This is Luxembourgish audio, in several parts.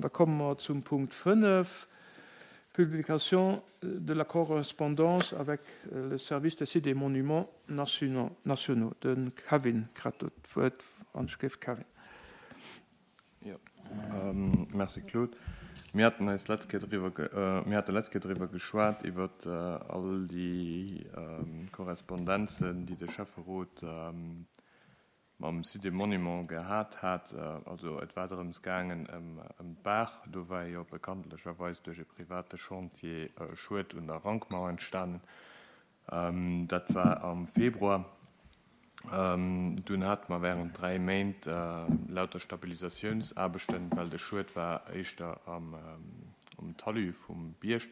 An da komme mer zum Punkt 5, Publication de la correspondance avec le Service des sites et monuments nationaux. De Kevin kritt do d'Wuert, wann ech géif. Kevin. Jo, merci Claude. Mir haten eis letzt Kéier driwwer, mir hate letzt Kéier driwwer geschwat, iwwer all déi Korrespondenzen, déi de Schäfferot mam Site des Monuments gehat hat. Also et war drëms gaangen ëm d'Baach. Do war jo bekanntlecherweis duerch e private Chantier e Schued un der Rankmauer entstanen. Dat war am Februar. Dunn hate mer während 3 Méint lauter Stabilisatiounsaarbechten, well de Schued war éischter am Talus vum Bierg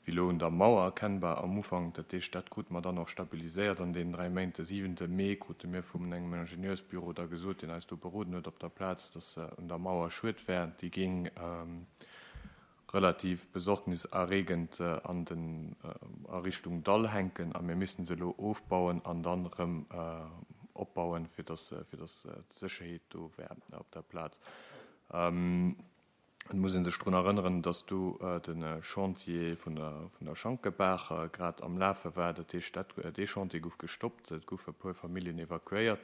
wéi elo un der Mauer erkennbar am Ufank. Dat heescht, dat krute mer dann och stabiliséiert an deenen 3 Méint. De siwente Mee krute mir vun engem Ingenieursbüro da gesot, deen eis do beroden huet op der Plaz, dass un der Mauer Schued wär. Déi géing relativ besorgniserregend an den a Richtung Dall hänken a mir missten se elo ofbauen an dann erëm opbauen, fir dass fir dass d'Sécherheet do wär op der Plaz. Et muss ee sech drun erënneren, dass do de Chantier vun der vun der Schankebaach grad am Lafe war. Dat heescht, dat dee Chantier gouf gestoppt, et goufe e puer Familljen evakuéiert.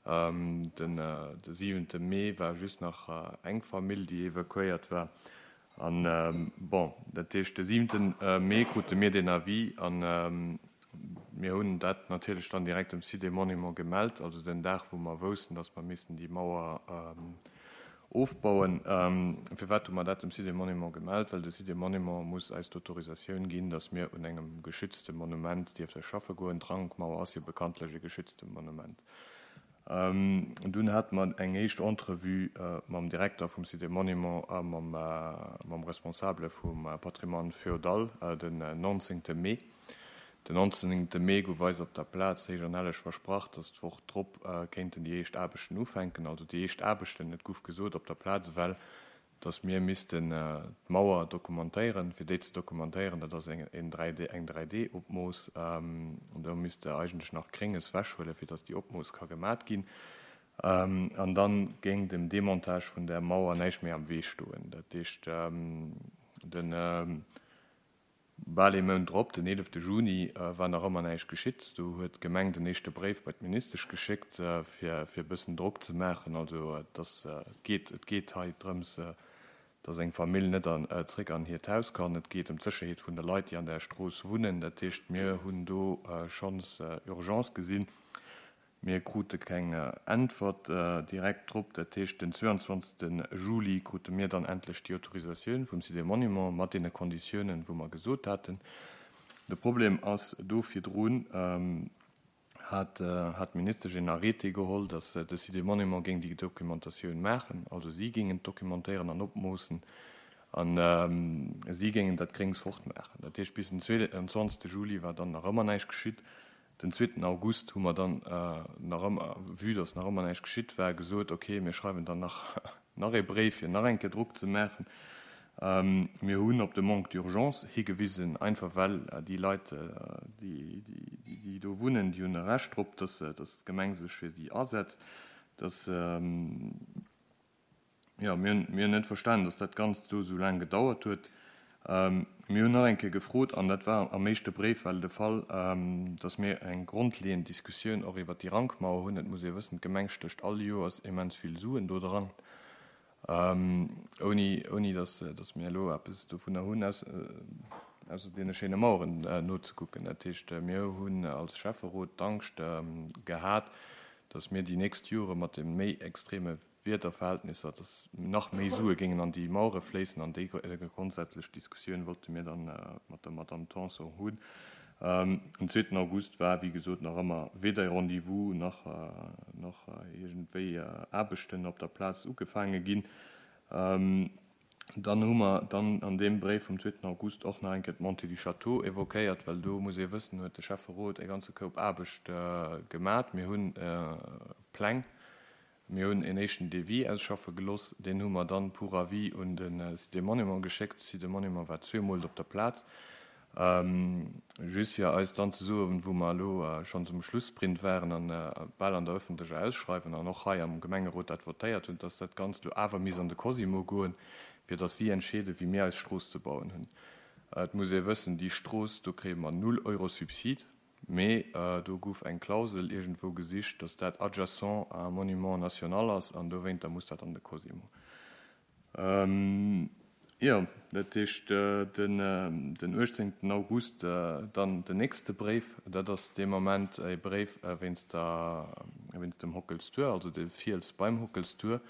Den de siwente Mee war just nach eng Famill, déi evakuéiert war. An, bon, dat heescht, de siwente Mee krute mir deen Avis a mir hunn dat natierlech dann direkt dem Site des Monuments gemellt, also den Dag, wou mer woussten, dass mer missten déi Mauer ofbauen. Firwat hu mer dat dem Site des Monuments gemellt? Well de Site des Monuments muss eis d'Autorisatioun ginn, dass mir un engem geschützte Monument dierfte schaffe goen. D'Rankmauer ass jo bekanntlech e geschützte Monument. Dunn hate mer eng éischt Entrevue mam Direkter vum Site des Monuments a mam Responsabele vum Patrimoine féodal den 19. Mee. Den 19. Mee gouf eis op der Plaz héich an helleg versprach, datt d'Woch drop kéinten déi éischt Aarbechten ufänken. Also déi éischt Aarbechten, et gouf gesot op der Plaz ewell, dass mir missten d'Mauer dokumentéieren. Fir déi ze dokumentéieren, dat ass eng 3D-Opmooss, do misst de eigentlech nach Grénges wechhuelen, fir dass déi Opmooss ka gemat ginn. An da géing dem Demontage vun där Mauer näischt méi am Wee stoen. Dat heescht, de Bal ee Mount drop, den 11 Juni, war nach ëmmer näischt geschitt. Do huet d'Gemeng den éischte Bréif bei d'Ministesch geschéckt, fir e bëssen Drock ze maachen. Also et ass, et geet, et geet hei drëms, datt eng Famill net an, zréck an hiert Haus kann. Et geet ëm d'Sécherheet vun de Leit, déi an där Strooss wunnen. Dat heescht, mir hunn do schonns Urgence gesinn. Mir krute keng Äntwert direkt drop. Dat heescht, den 22. Juli krute mir dann endlech déi Autorisatioun vum Site des Monuments mat deene Konditiounen, wou mer gesot haten. De Problem ass, do virdrun hat d'Ministesch een Arrêté geholl, datt de Site des Monuments géing déi Documentatioun maachen. Also si géingen d'documentéieren an opmoossen a si géingen dat Gréngs fortmaachen. Dat heescht, bis den 22. Juli war dann nach ëmmer näischt geschitt. Den zweeten August hu mer dann nach ëmmer, vue dass nach ëmmer näischt geschitt war, gesot, okay, mir schreiwen dann nach nach ee Bréif, fir nach eng Kéier Drock ze maachen. Mir hunn op de Manque d'urgence higewisen, einfach well déi Leit, déi déi do wunnen, déi hunn e Recht drop, dass dass d'Gemeng sech fir si asetzt, dass, Jo, mir hunn, mir hunn net verstanen, dass dat Ganzt do esou laang gedauert huet. Mir hunn nach eng Kéier gefrot, an dat war am éischte Bréif well de Fall, dass mir eng grondleeënd Diskussioun och iwwert déi Rankmauer hunn. Et muss ee wëssen, d'Gemeng stécht all Joers immens vill Suen do dran, ouni, ouni dass, dass mir elo eppes dovunner hunn, ausser deene schéine Maueren nozekucken. Dat heescht, mir hunn als Schäfferot d'Angscht gehat, dass mir déi nächst Jore mat de méi extreme Wiederverhältnisser, dass nach méi Sue géingen an déi Mauere fléissen. An déi grondsätzlech Diskussioun wollte mir dann mat der Madamm Tanson hunn. Den zweeten August war, wéi gesot, nach ëmmer weder e Rendez-vous nach nach iergendwéi Aarbechten op der Plaz ugefaange ginn. Dann hu mer dann an deem Bréif vum zweeten August och nach eng Kéier d'Montée du Château évoquéiert, well do muss ee wëssen, huet de Schäfferot e ganze Koup Aarbecht gemat. Mir hunn Pläng Mir hunn een éischten Devis ausschaffe geloss. Deen hu mer dann pour avis un de Site des Monuments geschéckt. De Site des Monuments war zweemol op der Plaz, just fir eis dann ze soen, wou mer elo schonns um Schlussprint waren an bal an der öffentlecher Ausschreiwung an och hei am Gemengerot dat votéiert hunn, dass dat Ganzt elo awer misst an de Cosimo goen. fir datt si entscheeden, wéi mir eis Strooss ze bauen hunn. Et muss ee wëssen, déi Strooss, do kréie mer null Euro Subsid, mee do gouf eng Klausel iergendwou gesicht, datt dat adjacent à un monument national ass an dowéinter muss dat an de Cosimo. Jo, dat heescht den 18 August dann den nächste Bréif. Dat ass dee Moment e Bréif wéinst der, wéinst dem Hockelstur, also de Fiels beim Hockelstur.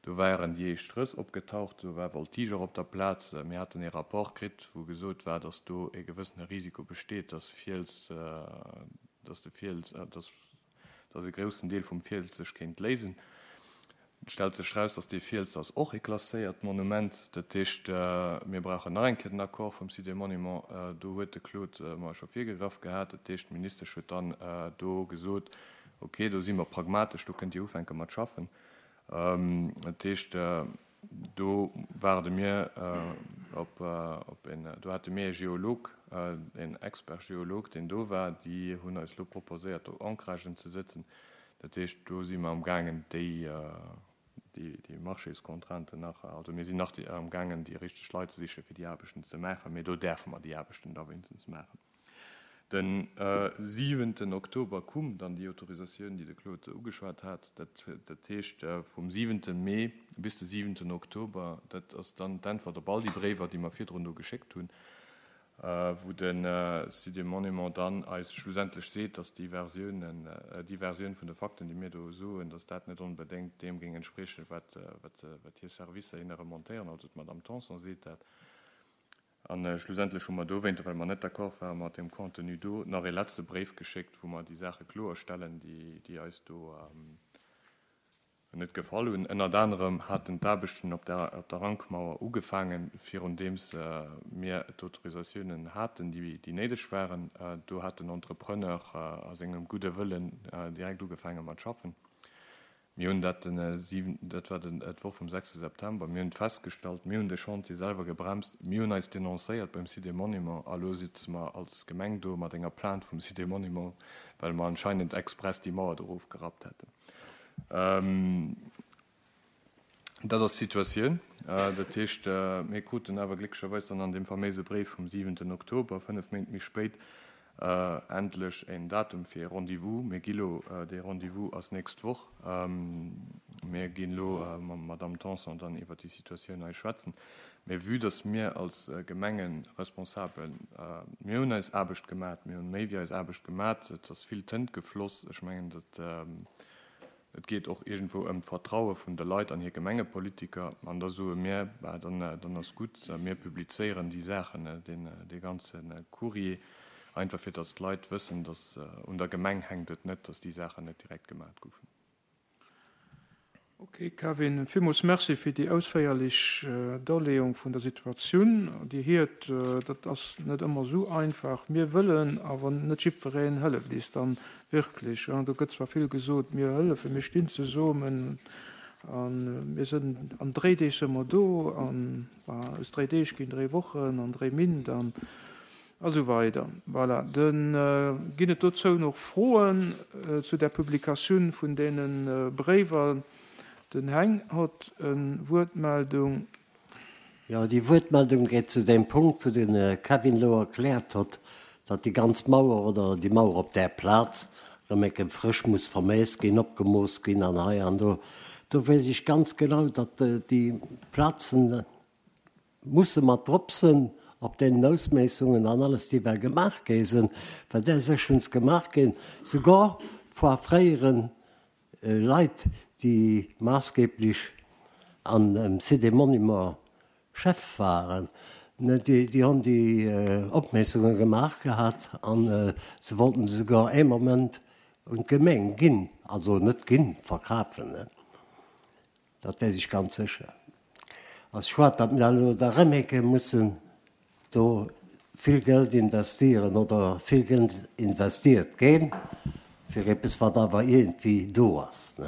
Do waren déi éischt Rëss opgetaucht, do war Voltigeur op der Plaz. Mir haten ee Rapport kritt, wou gesot war, datt do e gewëssene Risiko besteet, datt Fiels, datt de Fiels, datt datt e groussen Deel vum Fiels sech kéint léisen. Et stellt sech raus, datt dee Fiels ass och e klasséiert Monument. Dat heescht, mir brauchen nach eng Kéier den Accord vum Site des Monuments. Do huet de Claude mer scho virgegraff gehat. Dat heescht, d'Ministesch huet dann do gesot, Okay, do si mer pragmatesch, do kënnt Dir ufänke mat schaffen. Dat heescht, do waarde mir op een, do hate mir ee Geolog, een Expert-Geolog, deen do war. Déi hunn eis elo proposéiert, do Ancragen ze sëtzen. Dat heescht, do si mer amgaangen, déi, déi Marchéscontrainten nach, also mir sinn nach amgaangen, déi richteg Leit ze sichen, fir déi Aarbechten ze maachen, mee do däerfe mer déi Aarbechten da wéinstens maachen. De siwenten Oktober koum dann déi Autorisatioun, déi de Claude ugeschwat hat. Dat, dat heescht, vum siwente Mee bis de siwenten Oktober, dat ass dann d'Äntwert op all déi Bréiwer, déi mer virdrun do geschéckt hunn. wou de Site des Monuments dann eis schlussendlech seet, dass déi Versiounen, déi Versioun vun de Fakten, déi mir do soen, dass dat net onbedéngt deem géing entspriechen, wat, wat hir Servicer hinne remontéieren, also d'Madame Tanson seet dat. A schlussendlech hu mer dowéinter, well mer net d'accord ware mat deem Contenu do, nach ee letzte Bréif geschéckt, wou mer déi Saache kloerstellen, déi, déi eis do, Net gefall hunn. Ënnert anerem haten d'Aarbechten op der op der Rankmauer ugefaangen, virundeems mir d'Autorisatiounen haten, déi déi néideg waren. Do hat den Entrepreneur a sengem gudde Wëllen direkt ugefaange mat schaffen. Mir hunn dat den 7, dat war den d'Woch vum 6 September, mir hunn et festgestallt, mir hunn de Chantier selwer gebremst, mir hunn eis denoncéiert beim Site des Monuments a lo sitze mer als Gemeng do mat enger Plainte vum Site des Monuments, well mer anscheinend express déi Mauer do erofgerappt hätten. Dat ass d'Situatioun. Dat heescht, mir kruten awer glécklecherweis dann an deem faméise Bréif vum siwenten Oktober, fënnef Méint méi spéit, endlech en Datum fir e Rendez-vous. Mir gi lo, dee Rendez-vous ass nächst Woch, mir ginn elo mam Madamm Tanson dann iwwert déi Situatioun hei schwätzen. Mä vue dass mir als Gemengeresponsabel, mir hunn eis Aarbecht gemat, mir hunn méi wéi eis Aarbecht gemat, et ass vill Tënt gefloss, ech mengen, dat, et geet och iergendwou ëm d'Vertraue vun de Leit an hir Gemengepolitiker, an da soe mir, bah, dann, dann ass gutt, mir publizéieren déi Saachen, deen, dee ganze Courrier, einfach fir dass d'Leit wëssen, dass un der Gemeng hänkt et net, dass déi Saachen net direkt gemat goufen. Ok Kevin, villmools Merci fir déi ausféierlech Darleeung vun der Situatioun. Dir hiert, dat ass net ëmmer esou einfach. Mir wëllen, awer net jiddwereen hëlleft eis dann wierklech. Do gëtt zwar vill gesot, mir hëllefen, mir stinn zesummen a mir sënn, an dréi Deeg së mer do an aus dréi Deeg ginn dréi Wochen an dréi Minnt an A sou weider. Voilà. Da ginn et dozou nach Froen zu där Publikatioun vun deene Bréiwer. Den Heng hott e Wuertmeldung. Jo, déi Wuertmeldung geet zu deem Punkt, wou de Kevin elo erkläert hott, datt déi ganz Mauer oder déi Mauer op där Plaz erëm eng Kéier frësch muss vermeess ginn, opgemooss ginn an hei an do. Do weess ech ganz genau, datt déi Plazen, Musse mat drop sënn op deenen Ausméissungen an alles déi well gemaach gi sënn, well där sech hunn gemaach ginn, sougar vor fréieren Leit déi maassgeblech an dem Site des Monuments Chef waren, déi honn déi Opméissunge gemaach gehat an se wollten se sougar ee Moment un d'Gemeng ginn, also net ginn, verkafen. Dat weess ech ganz sécher. Ass schued, datt mir elo da rëm eng Kéier mussen do vill Geld investieren oder vill Geld investiert gétt fir eppes, wat awer iergendwéi do ass.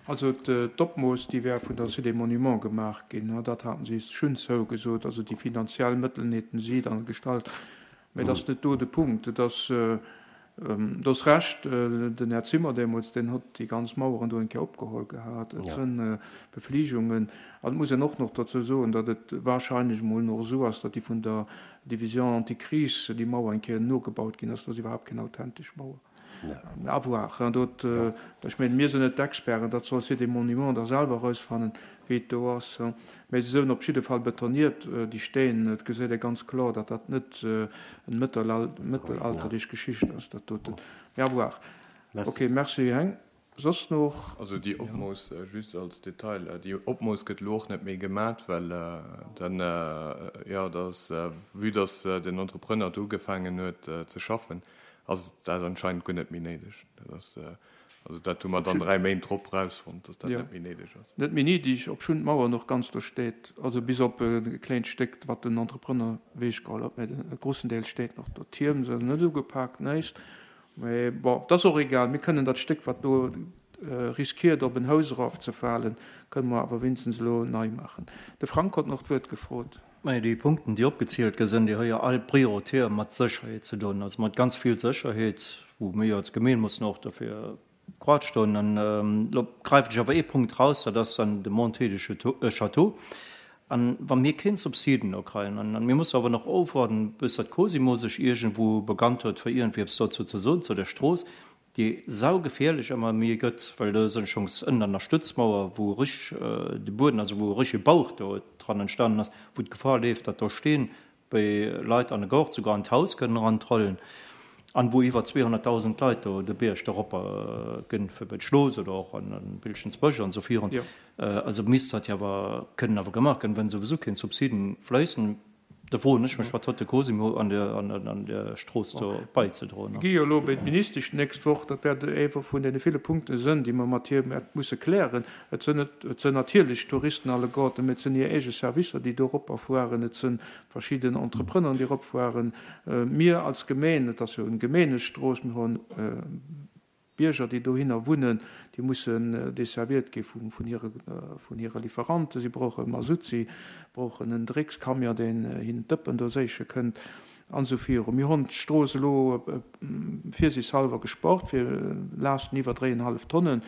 Also d'Opmooss, déi wär vun der Cité des Monuments gemaach ginn, dat haten si schonn zougesot. Also déi finanziell Mëttel hätten si dann gestallt. Mä et ass net do de Punkt. Et ass. Du hues Recht, den Här Zimmer deemools, deen hott déi ganz Maueren do eng Kéier opgeholl gehat. Et sënn Befligungen. An et muss een och noch dozou soen, datt et wahrscheinlech emol nach esou ass, datt déi vun der Division anti-crise déi Mauer eng Kéier nogebaut ginn ass. Dat ass iwwerhaapt keng authentesch Mauer. À voir. Dat, ech mengen, mir sinn net d'Experten, dat soll Sites et Monuments da selwer erausfannen, wéi et do ass. Mä se sinn op jidde Fall betoniert, déi Steen. Et geséit ee ganz kloer, datt dat net en mëttelalterlech Geschicht ass, dat doten. Mä à voir. Ok, merci Heng. Soss noch? Also déi Opmooss, just als Detail, déi Opmooss gëtt elo och net méi gemat, well dann, jo, dat ass, vue dass den Entrepreneur do ugefaangen huet ze schaffen, ass dat anscheinend guer net méi néideg. Dat ass, also dat hu mer dann 3 Méint drop erausfonnt, dass dat net méi néideg ass. Net méi néideg, obschonn d'Mauer nach ganz do steet, also bis op e kléint Stéck, wat den Entrepreneur ewechgeholl huet, mä de grossen Deel steet nach do. D'Tierm se net ugepaakt, näischt, mä bon, et ass och egal, mir kënnen dat Stéck, wat do riskiert op en Haus erafzefalen, kënne mer awer wéinstens elo nei maachen. De Frank hott nach d'Wuert gefrot. Majo, déi Punkten, déi opgezielt gi sinn, déi hu jo all prioritär mat Sécherheet ze doen, also mat ganz vill Sécherheet, wou mir jo als Gemeen mussen och dofir grad stoen. An elo gräifen ech awer ee Punkt raus, dat ass dann de Montée de Château. An wa mir keen Subsiden do kréien, an mir musse awer nach ofwaarden, bis datt Cosimo sech iergendwou begannt huet, fir iergendwéi eppes dozou ze soen, zu der Strooss, déi saugefährlech ëmmer méi gëtt, well do sinn schonns ënnen an der Stützmauer, wou richteg de Bueden, also wou e richtege Bauch do dran entstanen ass, wou d'Gefahr leeft, datt do Steen bei Leit an de Gaart, souguer an d'Haus kënnen erantrollen, an wou iwwer 200.000 Leit do de Bierg eropper ginn, fir bei d'Schlooss oder och an de Bilschensbësch an esou virun. Also misst dat jo awer kënnen awer gemaach ginn, wenn souwisou keen Subsiden fléissen. Da froen ech mech, wat huet de Cosimo an der Strooss do beizedroen? Mir gi jo elo bei d'Ministesch d'nächst Woch. Dat wäert ee vun deene ville Punkte sënn, déi mer mat hir wäerte musse klären. Et sënn net, et sënn natierlech d'Touristen alleguerten, mä et sënn hir eege Servicer, déi do eropperfueren. Et sënn verschidden Entrepreneuren, déi eropfueren. Mir als Gemeen, et ass jo eng Gemeengestrooss, mir hunn D'Bierger, déi dohinner wunnen, déi mussen desserviert gi vun hire Lieferanten. Si brauche Masutt, si brauchen en Dreckscamion, deen hinnen d'Dëppen do séiche kënnt, an esou viru. Mir hunn d'Strooss elo virsiichtshallwer gespart fir Laaschten iwwer dréienhallef Tonnen.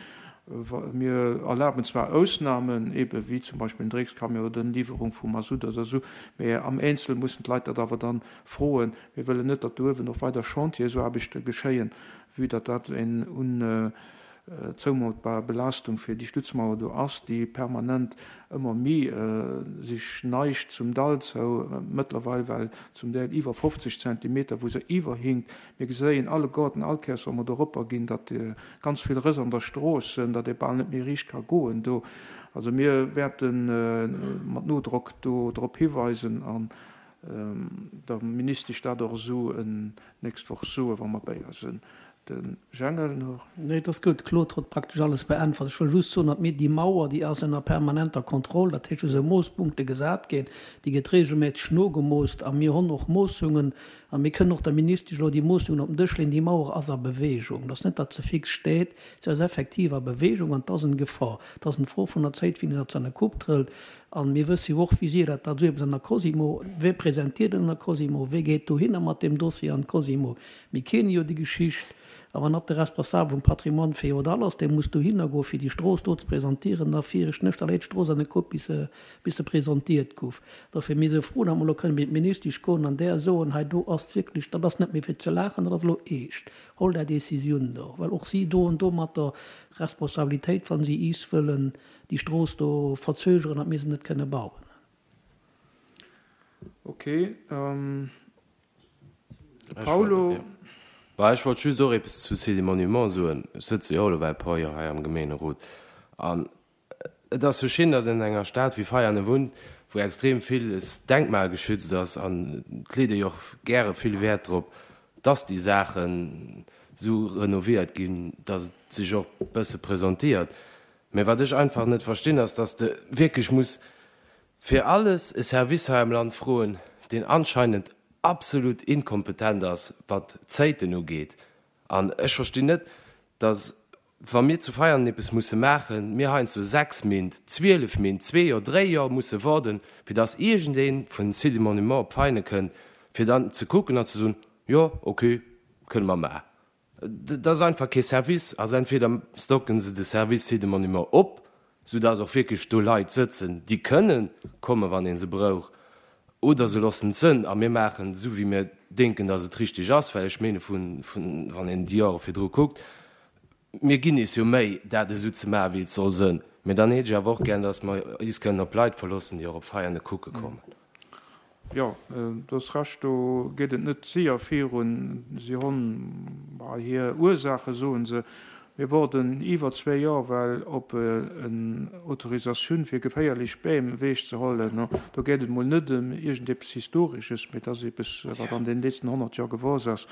Mir erlaben zwar Ausnamen, ebe wéi zum Beispill en Dreckscamion oder eng Liwwerung vu Masutt oder esou, mä am Eenzel mussen d'Leit dat awer dann froen. Mir wëllen net, datt do uewen och weider Chantiersaarbechte geschéien, vue datt dat eng unzoumutbar Belaastung fir déi Stützmauer do ass, déi permanent ëmmer méi sech neigt zum Dall zou, mëttlerweil well zum Deel iwwer 50 Zentimeter, wou se iwwerhinkt. Mir geséien alleguerten all Kéiers, wa mer do eropper ginn, datt ganz vill Rëss an der Strooss sënn, datt ee bal net méi riicht ka goen do. Also mir wäerte mat Nodrock do drop hiweisen an der Ministesch dat och esou nächst Woch soen, wa mer bei eis sinn. De Jengel nach. Nee, et ass gutt. D'Claude huet praktesch alles beäntwert. Ech wëll just soen, datt mir déi Mauer, déi ass ënner permanenter Kontroll, dat heescht, do si Moosspunkte gesat ginn, déi gëtt regelméisseg nogemoost a mir honn och Moossungen a mir kënnen och der Ministesch elo déi Moossungen op den Dësch leeën. Déi Mauer ass a Bewegung. Et ass net, datt se fix steet, se ass effektiv a Bewegung an et ass en Gefor. Et ass en Fro vun der Zéit, wéini datt se an e Coup trëllt. An mir wësse jo och, wéi sier dat dat esou eppes an der Cosimo, wee presentiert en an der Cosimo, wee geet dohinner mat deem Dossier an d'Cosimo. Mir kenne jo déi Geschicht. A wann dat de Responsabel vum Patrimoine féodal ass, dee muss dohinner goen, fir déi Strooss do ze presentieren, da fir ech nech, da léit d'Strooss an de Koup, bis se, bis se presentiert guff. Dofir, mir si frou, datt mer elo kënnen bei d'Ministesch goen an där soen, hei do ass wierklech, dat ass net méi fir ze laachen, dat ass elo eescht, holl där Décisioun do, well och si doen domatter Responsabilitéit, wa si iis wëllen déi Strooss do verzögeren, datt mir se net kënne bauen. Ok, de Paulo. Bah, ech wollt just och eppes zu Sites et Monuments soen. Ech sëtze jo och elo well e puer Joer hei am Gemeenerot an et ass jo schin, datt een an enger Stad wéi Veianen wunnt, wou extrem villes denkmalgeschützt ass an et leet ee jo och gäre vill Wäert drop, datt déi Saachen esou renoviert ginn, datt et sech och e bësse presentiert. Mä wat ech einfach net verstinn, ass, dass de wierklech muss fir alles e Service hei am Land froen, deen anscheinend absolut inkompetent ass, wat d'Zéiten ugeet. An ech verstinn net, dass, wa mir zu Veianen eppes musse maachen, mir heiansdo 6 Mint, 12 Mint, zwee Joer, dréi Joer musse warden, fir dass iergendee vun Sites et Monuments op Veianen kënnt, fir dann ze kucken an ze soen, Jo, okay, kënne mer maachen. Dat ass einfach kee Service. Also entweder stocken se de Service Sites et Monuments op, soudass och wierklech do Leit sëtzen, déi kënnen kommen, wann ee se brouch, oder se loossen et sënn a mir maachen esou, wéi mir denken, dass et richtig ass. Well ech mene vun, wann een déi Jore virdru kuckt, mir ginn is jo Méi, dat esou ze maachen, wéi et soll sënn. Mä dann hätt ech awer och gär, dass mer is kënnen op Leit verloossen, déi och op Veianen kucke kommen. Jo, du hues Recht, do geet et net séier virun. Si honn hir Ursaachen, soen se. Mir woarden iwwer zwéi Joer well op en Autorisatioun fir geféierlech Beem ewech ze hollen. Do geet et mol net ëm iergendeppes Historesches, mee et ass eppes, wat an den letzten 100 Joer gewuess ass.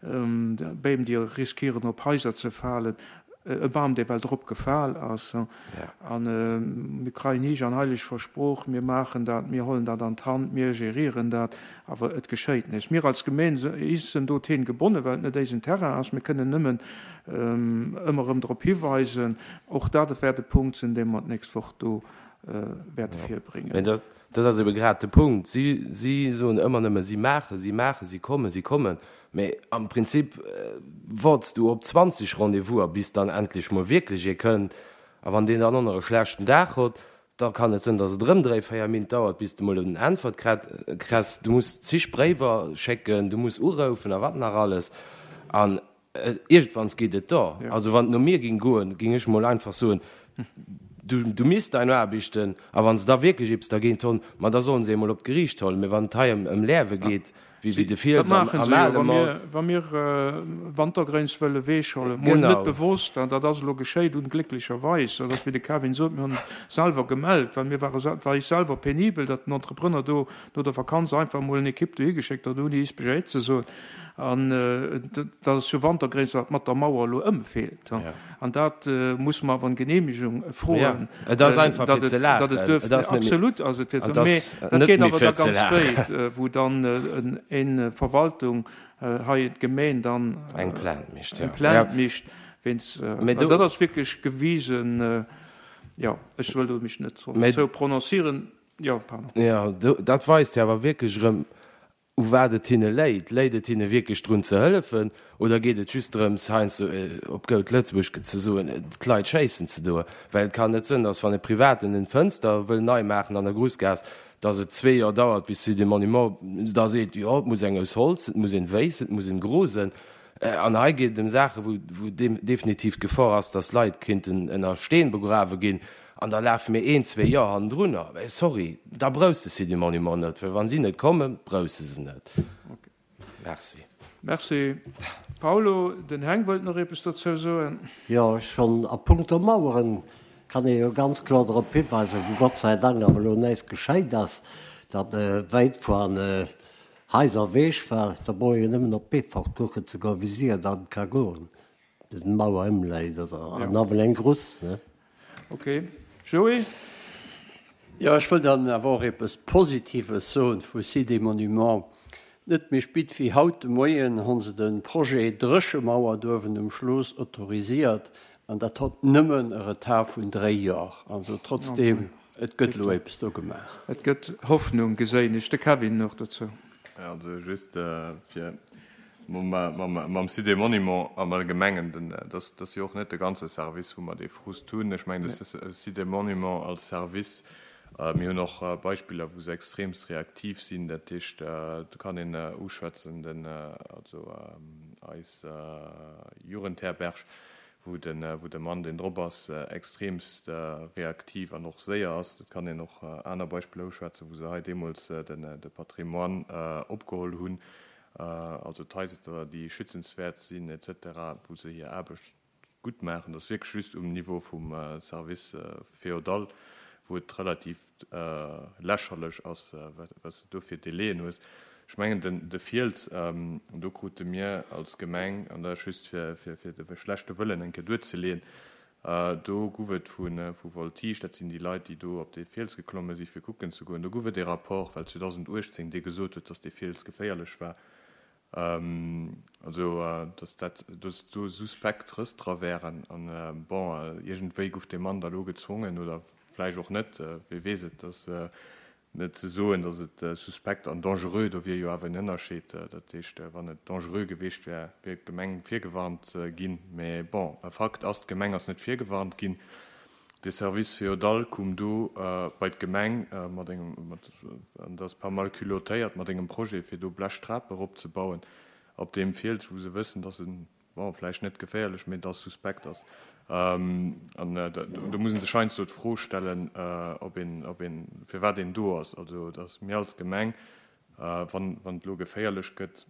Beem, déi riskieren op Haiser ze falen, e Bam, dee well drop gefal ass. A mir kreien heech an heileg versprooch, mir maachen dat, mir hollen dat an d'Hand, mir gérieren dat, awer et geschéit näischt. Mir als Gemeen sinn dohin gebonnen, well et net éisen Terrain ass. Mir kënnen nëmmen ëmmer erëm drop hiweisen. Och dat wäert e Punkt sinn, dee mer d'nächst Woch do wäerte virbréngen. Mä dat ass ebe grad de Punkt. Si, si soen ëmmer nëmme, si maachen, si maachen, si kommen, si kommen. Mä am Prinzip woarts du op 20 Rendez-vouser, bis dann endlech mol wierklech ee kënnt. A wann deen dann och nach e schlechten Dag hott, da kann et sënn, dass et erëm dréi, véier Mintt dauert, bis de mol en Äntwert kress. Du muss zig Bréiwer schécken, du muss uroufen a wat nach alles. An Iergendwanns geet et da. Also wann et no mir ging goen, ging ech mol einfach soen, du, du misst dein Aarbichten, a wann se da wierklech eppes dergéint honn, ma da sollen se ee mol op d'Geriicht hollen. Mee wann et hei ëm ëm Lerwe geet, wéi wéi de Dat Fiels am maachen am se jo, ale wa mir, Mord. wa mir Wantergréins wëlle weechhollen, mol net Genau. bewosst, an dat ass elo geschéit, unglécklecherweis, dat ass wéi de Kevin sot, mir hunn et selwer gemellt, well mir ware, et war eis selwer penibel, datt den Entrepreneur do no der Vakanz einfach mol en Equipe dohi geschéckt huet, ouni eis Bescheed ze soen. An dat ass jo Wantergréins, wat mat der Mauer elo ëmfeelt. An dat muss mer awer en Genehmigung froen. Et ass einfach fir ze laachen. Absolut ass et fir ze laachen. Mee dat geet awer da ganz wéit, wou dann eng Verwaltung, hei d'Gemeen dann eng Plainte mécht. Eng Plainte mécht wéinst, dat ass wierklech gewisen, jo, ech wëll do mech net dozou prononcieren. Jo, pardon. Jo, dat weist jo awer wierklech erëm, u wat et hinne léit. Léit et hinne wierklech drun ze hëllefen oder geet et just drëms, heiansdo op goud Lëtzebuerg ze soen, d'Leit schéissen ze doen? Well et kann net sënn, datt wann e Privaten en Fënster wëll nei maachen an der Grussgaass, datt et zwee Joer dauert, bis de Monument da seet, jo, et muss eng aus Holz, et muss een wéiss, et muss en gro sënn. An hei geet et ëm Saachen, wou definitiv d'Gefor ass, datt Leit kéinten ënner Steen begrawe ginn. An da lafe mir een, zwee Joer hannendrunner. Mä sorry, da brouchs de Site du Monument net, well wa si net kommen, brouchs de se net. Merci. Merci Paulo. Den Heng wëllt nach eppes dozou soen. Jo, schonn a puncto Maueren kann ee jo ganz kloer drop hiweisen, wou Gott sei Dank awer elo näischt geschéit ass, datt wäit voan Haiser ewech war. Da brauch ee jo nëmmen op Beefort kucken ze goen, wéi séier dat ka goen, bis d'Mauer ëmläit oder an nawell eng Gruss, ne? Ok. Joé? Jo, ech wëll dann awer och eppes Positives soen vu Sites et Monuments. Net méi spit wéi haut de Moien hon se de Projet Dréchemauer douewen um Schloos autorisiert, an dat hott nëmmen e Retard vun dréi Jor. Also trotzdem, et gëtt elo eppes do gemaach. Et gëtt Hoffnung, geséin ech. De Kevin nach dozou. Also just fir mam Site des Monuments am Allgemengen, dat ass jo och net de ganze Service, wou mer dee Frust hunn. Ech mengen, de Site des Monuments als Service, mir hunn och Beispiller, wou se extremst reaktiv sinn. Dat heescht, do kann een uschwätzen, den, also eis Jugendherberg, wou de Mann, deen drop ass, extremst reaktiv an och séier ass. Et kann een och aner Beispiller uschwätzen, wou se hei deemools de Patrimoine opgeholl hunn, also d'Haiser, déi schützenswäert sinn et cetera, wou se hir Aarbecht gutt maachen. Dat ass wierklech just um Niveau vum Service féodal, wou et relativ lächerlech ass, wat s de do fir Délaiën hues. Ech mengen, de Fiels, do krute mir als Gemeng, an dat ass just fir de schlechte Wëllen eng Kéier duerzeleeën, do guff et vu Voltige, dat sinn déi Leit, déi do op dee Fiels geklomme si fir kucken ze goen, do guff et ee Rapport, well 2018 dee gesot huet, datt dee Fiels geféierlech war, also datt dat, datt do suspekt Rëss dra wären. An bon, iergendwéi guff dee Mann da lo gezwongen, oder vläicht och net, wie weess et, datt. Net ze soen, datt et suspekt an dangereux, do wier jo awer en Ënnerscheed. Dat heescht, wann et dangereux geweecht wär, wier d'Gemeng virgewarnt ginn. Mä bon, Fakt ass, d'Gemeng ass net virgewarnt ginn. De Service féodal koum do bei d'Gemeng mat engem, an dat ass pas mal culottéiert, mat engem Projet, fir do Blechtrape eropzebauen op deem Fiels, wou se wëssen, datt en bon, vläicht net geféierlech, mee dass suspekt ass. An do muss ee sech heiansdo d'Fro stellen, ob een, ob een, firwat een do ass. Also, dass mir als Gemeng, wann, wann et elo geféierlech gëtt,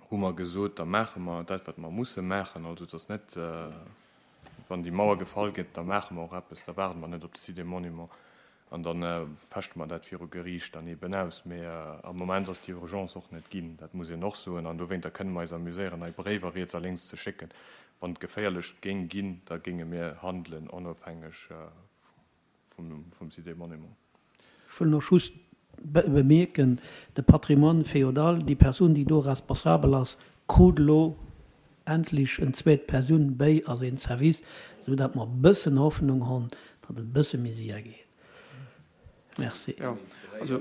hu mer gesot, da maache mer dat, wat mer musse maachen. Also, et ass net, wann déi Mauer gefall gëtt, da maache mer och eppes, da waarde mer net op de Site des Monuments. An da fechte mer dat viru Geriicht dann eeben aus. Mee am Moment ass déi Urgence och net ginn, dat muss een och soen. An dowéinter kënne mer eis amuséieren, hei Bréiwer riets a lénks ze schécken. Wann et geféierlech géing ginn, da géinge mir handelen, onofhängeg vum Site des Monuments. Ech wëll nach just bemierken, de Patrimoine féodal, déi Persoun, déi do responsabel ass, krut elo endlech en zweet Persoun béi a seen Service, esou dat mer e bëssen Hoffnung honn, datt et e bësse méi séier geet. Merci. Jo, also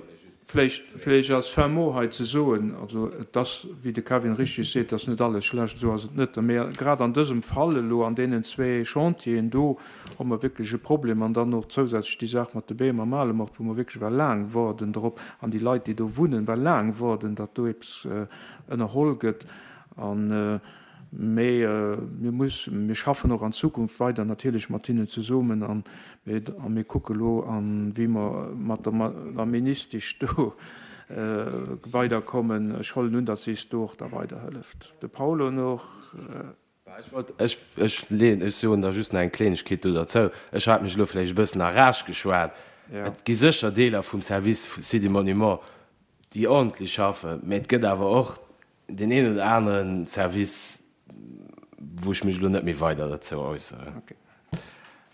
vläicht, vläicht als fin mot hei ze soen, also et ass, wéi de Kevin richtig seet, et ass net alles schlecht, esou ass et net, mä grad an dësem Fall elo, an deenen zwee Chantieren do, hu mer wierklech e Problem an dann och zousätzlech déi Saach mat de Beem am Alemort, wou mer wierklech well laang woarden drop, an déi Leit, déi do wunnen, well laang woarden, datt do eppes ënnerholl gëtt. An, mee mir muss, mir schaffen och an Zukunft weider natierlech mat hinnen zesummen an a mir kucke lo an, wéi mer mat der Ministesch do weiderkommen. Ech hollen un, datt si is do och da weiderhëlleft. De Paulo nach. Ech wollt, ech, ech leeën, ech soen da just nach eng Klengegkeet do derzou. Ech hat mech elo vläicht e bëssen a Rage geschwat. Et gi sécher Deeler vum Service Sites et Monuments, déi ordentlech schaffen, mä et gëtt awer och deen een oder anere Service, wou ech mech elo net méi weider derzou äusseren. Ok.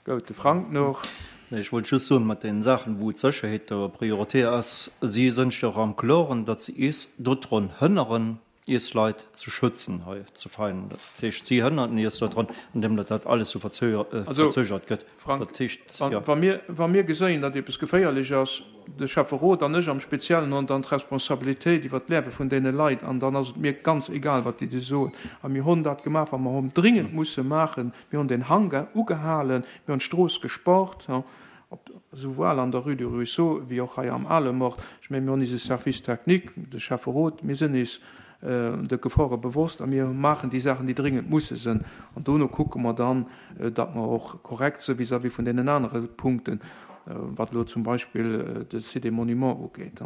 Gout, de Frank nach. Nee, ech wollt just soen, mat deenen Saachen, wou d'Sécherheet der Priorité ass, si sënn sech och am Kloren, datt se is dodrun hënneren, iis Leit ze schützen hei zu Veinen. Dat heescht, si hënnerten iis dodrun, andeem datt dat alles esou verzögert gëtt. Frank, Dat heescht, jo. wa mir, wa mir geséien, datt eppes geféierlech ass, de Schäfferot an ech am Speziellen hunn dann d'Responsabilitéit iwwert d'Liewe vun deene Leit an dann ass et mir ganz egal, wat déi do soen. A mir hunn dat gemaach, wat mer hunn dringend musse maachen. Mir hunn den Hangar ugehalen, mir hunn d'Strooss gespart, op, souwuel an der Rue du Ruisseau wéi och hei am Alemort. Ech mengen, mir hunn eise Service technique, de Schäfferot, mir sinn eis de Gefore bewosst a mir maachen déi Saachen, déi dringend musse sinn. An dono kucke mer dann, datt mer och korrekt si vis-à-vis vun deenen anere Punkten, wat elo zum Beispill de Site des Monuments ugeet.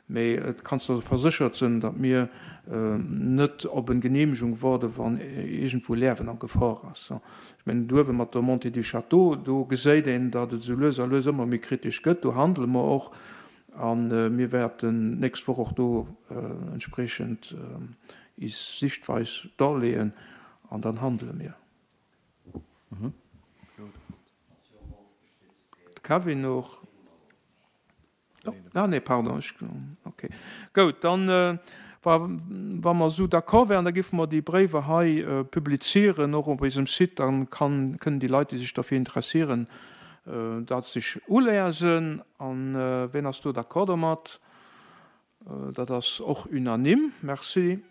Mee et kanns de verséchert sinn, datt mir net op en Genehmegung waarde wann iergendwou Lärwen a Gefor ass. Ech mengen douewe mat der Montée du Château, do geséit een, datt et esou lues a lues ëmmer méi kritesch gëtt. Do handele mer och a mir wäerten d'nächst Woch och do entspriechend is Sichtweis darleeën an dann handele mir. De Kevin och. Ah nee, pardon, ech, okay. Goud, dann, wa, wa mer esou d'accord wären, da géife mer déi Bréiwer hei publizieren, och op eisem Site, dann kann, kënnen déi Leit, déi sech derfir interessieren, dat sech uliesen. An wien ass do d'accord domat? Dat ass och unanime. Merci.